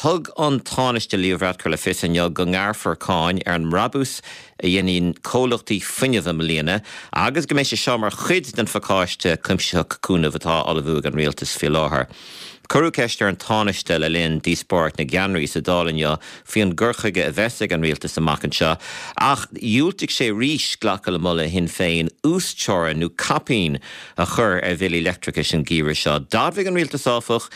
Thug an Tánaiste Leo Varadkar le fios inniu go ngearrfar cáin ar an mbrabús a dhéanfaidh comhlachtaí fuinnimh i mbliana agus go mbeidh sé seo mar chuid den phacáiste cuimsitheach cúnaimh atá á ullmhú ag an Rialtas faoi láthair. Cuireadh ceist ar an Tánaiste le linn díospóireacht na gceannairí sa Dáil inniu faoi an gcur chuige a bheas ag an Rialtas amach anseo ach dhiúltaigh sé arís glacadh le moladh Shinn Féin uasteorainn nó caipín a chur ar bhillí leictreachais an geimhreadh seo. D'admhaigh an Rialtas, áfach,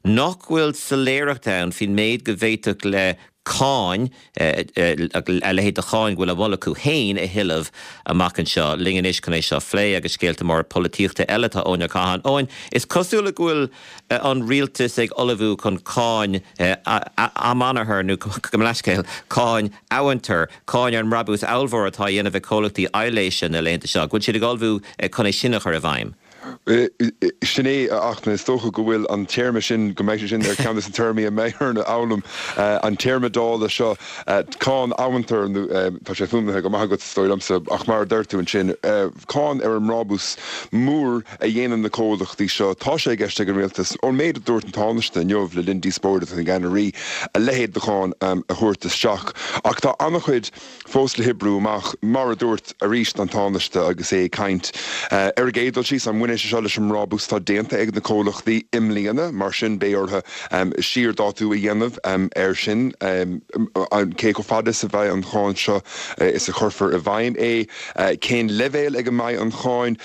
nach bhfuil soiléireacht ann faoin méid go bhféadfadh le cáin, a leithéid de cháin go bhfuil á mholadh acu féin a thuilleamh amach anseo. Linn anois chun é seo a phlé agus scéalta móra polaitíochta eile tá Eoin Ó Catháin. Eoin, is cosúil go bhfuil an rialtas ag ullmhú chun cáin amanathar nó gabh mo leithscéal, cáin amhantair, cáin ar an mbrabús ollmhór atá á dhéanamh ag comhlachtaí aibhléise na laethanta seo, go bhfuil siad ag ullmhú chun é sin a chur i bhfeidhm. Sin é, a Fhachtna. Is dócha go bhfuil an téarma sin, go mbeidh sé sin ar cheann de na téarmaí a mbeidh orainn a fhoghlaim, an téarma Dála seo, cáin amhantair, nó tá sé fuaimnithe go maith agat, is dóigh liomsa, ach mar a deir tú ansin, cáin ar an mbrabús mór a dhéanann na comhlachtaí seo. Tá sé i gceist ag an Rialtas, ón méid a dúirt an Tánaiste inniu le linn díospóireacht na gceannairí, a leithéid de cháin a thabhairt isteach. Ach tá an-chuid. fós le hoibriú amach, mar a dúirt arís an Tánaiste agus é ag caint. Ar an gcéad dul síos, an mbaineann sé seo leis an mbrabús atá déanta ag na comhlachtaí i mbliana? Mar sin, beidh orthu siardhátú a dhéanamh air sin. Cé chomh fada is a bheidh an cháin seo is a chuirfear i bhfeidhm é? Cén leibhéal ag a mbeidh an cháin?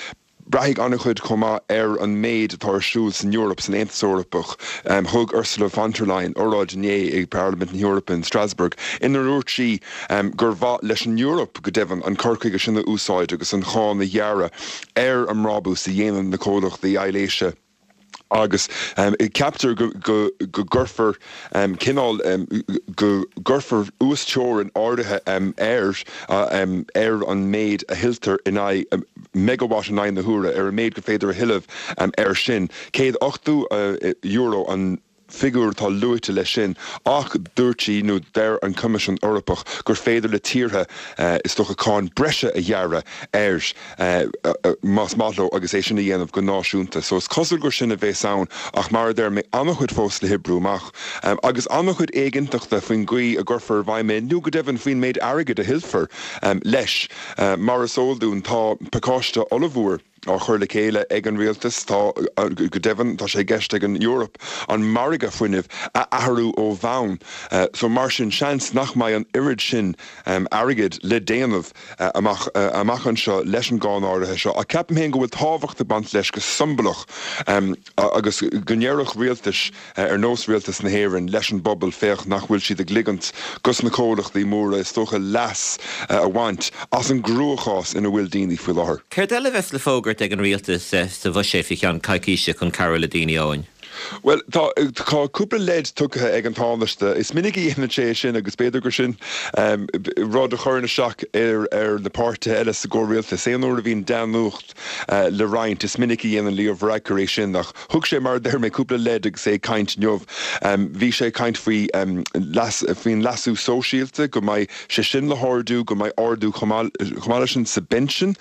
Braithfidh an-chuid chomh maith ar an méid atá ar siúl san Eoraip, san Aontas Eorpach. Thug Ursula von der Leyen oráid inné i bParlaimint na hEorpa in Strasbourg inar dhúirt sí gur mhaith leis an Eoraip, go deimhin, an cur chuige sin a úsáid agus an cháin a ghearradh ar an mbrabús a dhéanann na comhlachtaí aibhléise. Agus ceaptar go gcuirfear cineál, go gcuirfear uasteorainn áirithe ar ar an méid a thuilltear in aghaidh megawatt in aghaidh na huaire, ar an méid gur féidir a thuilleamh air sin. €180 an figiúr atá luaite leis sin ach dúirt sí, nó deir an Coimisiún Eorpach, gur féidir le tíortha, is dócha, cáin breise a ghearradh air más maith leo agus é sin a dhéanamh go náisiúnta. So is cosúil gur sin a bheas ann ach mar a deir mé, an-chuid fós le hoibriú amach agus an-chuid éiginnteachta faoin gcaoi a gcuirfear i bhfeidhm é nó go deimhin faoin méid airgid a thuillfear leis. Mar is eol dúinn tá pacáiste ollmhór. á chur le chéile ag an rialtas. Tá, go deimhin, tá sé i gceist ag an Eoraip an margadh fuinnimh a athrú ó bhonn. So, mar sin, seans nach mbeidh an oiread sin airgid le déanamh amach amach anseo leis an gcáin áirithe seo. Ach ceapaim féin go bhfuil tábhacht ag baint leis go siombalach agus go ndéarfadh rialtais, ar nós Rialtas na hÉireann, leis an bpobal, féach nach bhfuil siad ag ligint dos na comhlachtaí móra, is dócha, leas a bhaint as an gcruachás ina bhfuil daoine faoi láthair. Céard eile a bheas le fógairt ag an Rialtas sa bhuiséad faoi cheann coicíse chun cabhrú le daoine, Eoin? Bhuel, tá tá cúpla leid tugtha ag an Tánaiste. Is minic a dhéanann sé é sin agus b'fhéidir gur sin rud a chuireann isteach ar ar na páirtithe eile sa gcomhrialtas. Aon uair a bhíonn dea-nuacht le roinnt, is minic a dhéanann Leo Varadkar é sin ach Thug sé, mar a deir mé, cúpla leid agus é ag caint inniu. Bhí sé ag caint faoi leas, faoin leasú sóisialta, go mbeidh sé sin le hardú, go mbeidh ardú chomh maith, chomh maith leis sin sa bpinsean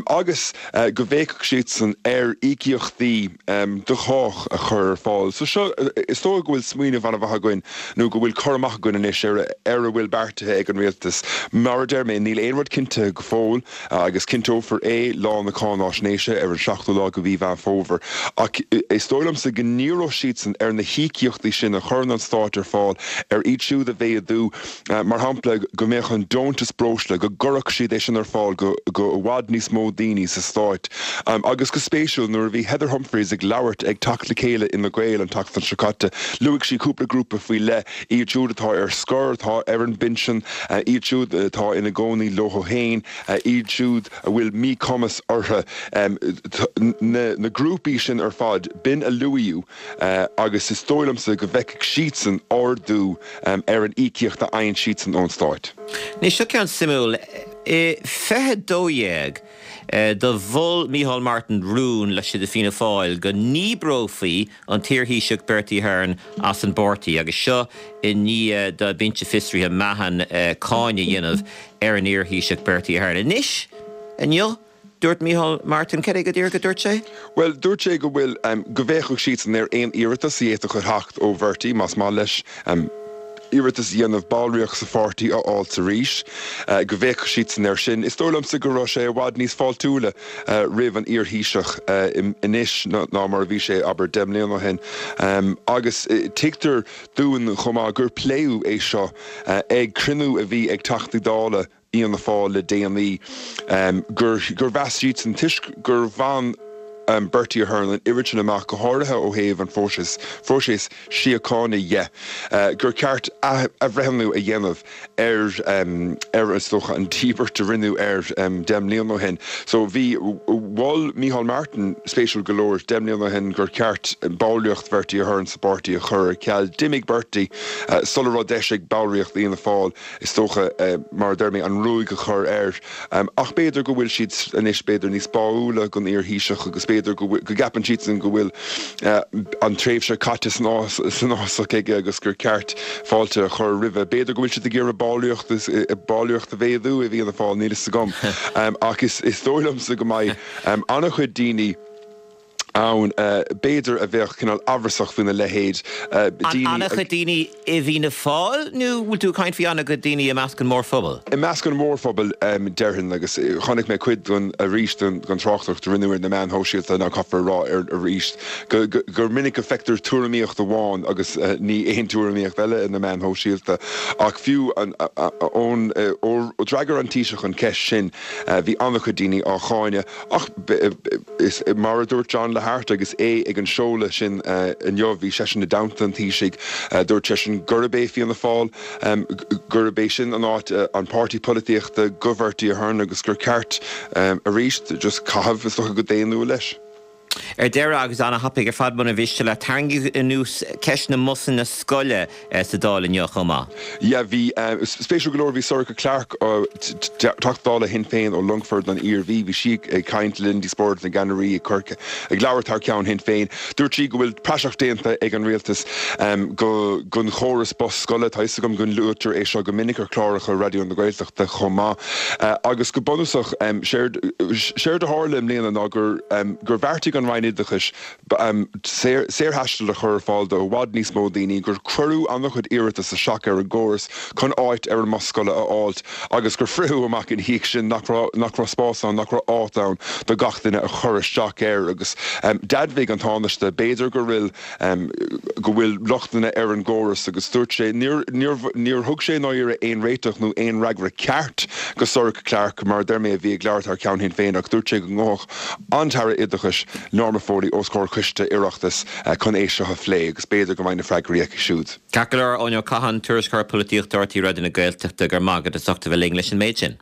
agus go bhféachfadh siadsan ar íocaíochtaí do chách a chur ar fáil. So seo, is dóigh go bhfuil smaoineamh an-mhaith againn nó go bhfuil cur amach againn anois ar ar a bhfuil beartaithe ag an rialtas. Mar a deir mé, níl aon rud cinntithe go fóill. agus cinnteofar é lá na cáináisnéise ar an seachtú lá de mhí Mheán Fómhair. Ach is dóigh liomsa go ndíreodh siadsan ar na híocaíochtaí sin a chuireann an Stát ar fáil ar iad siúd a mhéadú, mar shampla, go mbeadh an deontas breosla, go gcuirfeadh siad é sin ar fáil go i bhfad níos mó daoine sa Stát. Agus go spéisiúil, nuair a bhí Heather Humphreys ag labhairt ag Teacht le Chéile Fhine Gael an tseachtain seo caite, luaigh sí cúpla grúpa faoi leith, iad siúd atá ar scor, atá ar an bpinsean, iad siúd atá ina gcónaí leo féin, iad siúd a bhfuil míchumas orthu, na grúpaí sin ar fad, b'in a luaíodh agus is dóigh liomsa go bhfeicfidh siadsan ardú ar an íocaíocht a fhaigheann siadsan ón Stát. Anois, seo ceann suimiúil. I 2012, do mhol Micheál Martin rún laistigh de Fianna Fáil go ndíbreofaí an t-iarThaoiseach Bertie Ahern as an bpáirtí agus seo i ndiaidh do Binse Fiosraithe Mahon cáineadh a dhéanamh ar an iarThaoiseach Bertie Ahern. Anois, inniu, Dúirt Micheál Martin, cad é go díreach a dúirt sé? Bhuel, dúirt sé go bhfuil, go bhféachfadh siadsan ar aon iarratas a d'fhéadfadh a theacht ó Bhertie, más maith leis iarratas a dhéanamh ballraíocht sa pháirtí a fháilt arís, go bhféachfadh siadsan air sin. Is dóigh liomsa go raibh sé i bhfad níos fáiltiúla roimh an iar-Thaoiseach anois ná mar a bhí sé, abair, 10 mbliana ó shin. Agus tuigtear dúinn chomh maith gur pléadh é seo ag cruinniú a bhí ag Teachtaí Dála Fhianna Fáil le déanaí, gur mheas siadsan, toisc gur bhain Bertie Ahern an oiread sin amach, go háirithe ó thaobh an phróisis, phróiseas síochána dhe, gur ceart athbhreithniú a dhéanamh ar, ar, is dócha, an díbirt a rinneadh air 10 mbliana ó shin. So bhí, mhol Micheál Martin, spéisiúil go leor, 10 mbliana ó shin gur ceart ballraíocht Bhertie Ahern sa bpáirtí a chur ar ceal. D'imigh Bertie sula raibh deis ag ballraíocht Fhianna Fáil is dócha, mar a deir mé, an ruaig a chur air. Ach b'fhéidir go bhfuil siad anois, b'fhéidir, níos báúla don iar-Thaoiseach agus b'fhéidir go bhfuil, go gceapann siadsan go bhfuil an tréimhse caite san fhásach aige agus gur ceart fáilte a chur roimhe. B'fhéidir go bhfuil siad ag iarraidh ballraíocht, ballraíocht a mhéadú i bhFianna Fáil, níl fhios agam. Ach is dóigh liomsa go mbeidh an-chuid daoine, ann, b'fhéidir, a bheadh cineál amhrasach faoina leithéid. Daoine. An-chuid daoine i bhFianna Fáil nó bhfuil tú ag caint faoi an-chuid daoine i measc an mhórphobail? I measc an mhórphobail, déarfainn, agus chonaic mé cuid den, arís, den tráchtaireacht a rinneadh ar na meáin shóisialta, ná caithfear a rá arís gur minic a feictear tuairimíocht amháin agus ní aon tuairimíocht eile ar na meáin shóisialta. Ach fiú ón, ó d'fhreagair an Taoiseach an cheist sin, bhí an-chuid daoine á cháineadh. Ach is mar a dúirt John Lahart agus é ag an seoladh sin inniu, bhí seisean i dteannta an Taoisigh, dúirt seisean gurb é Fianna Fáil, gurb é sin an áit, an páirtí polaitíochta do Bhertie Ahern agus gur ceart arís just caitheamh, is dócha, go daonnúil leis. Ar deireadh, agus ana-thapaidh ar fad muna mhiste leat, tarraingíodh anuas ceist na mbusanna scoile sa Dáil inniu chomh maith. Yeah, bhí, spéisiúil go leor, bhí Sorcha Clarke, Teachta Dála Shinn Féin ó Longfort, an Iarmhí, bhí sí ag caint le linn Díospóireacht na gCeannairí ag cur, ag labhairt thar ceann Shinn Féin. Dúirt sí go bhfuil praiseach déanta ag an rialtas go, gon chóras bus scoile, tá 'fhios agam go luaitear é seo go minic ar chláracha Raidió na Gaeltachta chomh maith, agus go bunúsach, séard, séard a tharla i mbliana ná gur, gur bheartaigh an Roinn Oideachais saorthaisteal a chur ar fáil do i bhfad níos mó daoine, gur cuireadh an-chuid iarratas isteach ar an gcóras chun áit ar an mbus scoile a fháilt agus gur fritheadh amach ina dhiaidh sin nach raibh nach raibh spás ann, nach raibh áit ann do gach duine a chur isteach air. Agus d'admhaigh an Tánaiste, b'fhéidir go bhfuil go bhfuil lochtanna ar an gcóras agus dúirt sé níor níor níor thug sé i ndáiríre aon réiteach nó aon fhreagra ceart go Sorcha Clarke, mar a deir mé, a bhí ag labhairt thar ceann Shinn Féin ach dúirt sé go ngabhfadh an tAire Oideachais, Norma Foley, os comhair coiste Oireachtais chun é seo a phlé agus b'fhéidir go mbeidh na freagraí aici siúd. Ceart go leor, Eoin Ó Catháin, Tuairisceoir Polaitíochta RTÉ Raidió na Gaeltachta, go raibh maith agat as ucht a bheith linn leis an méid sin.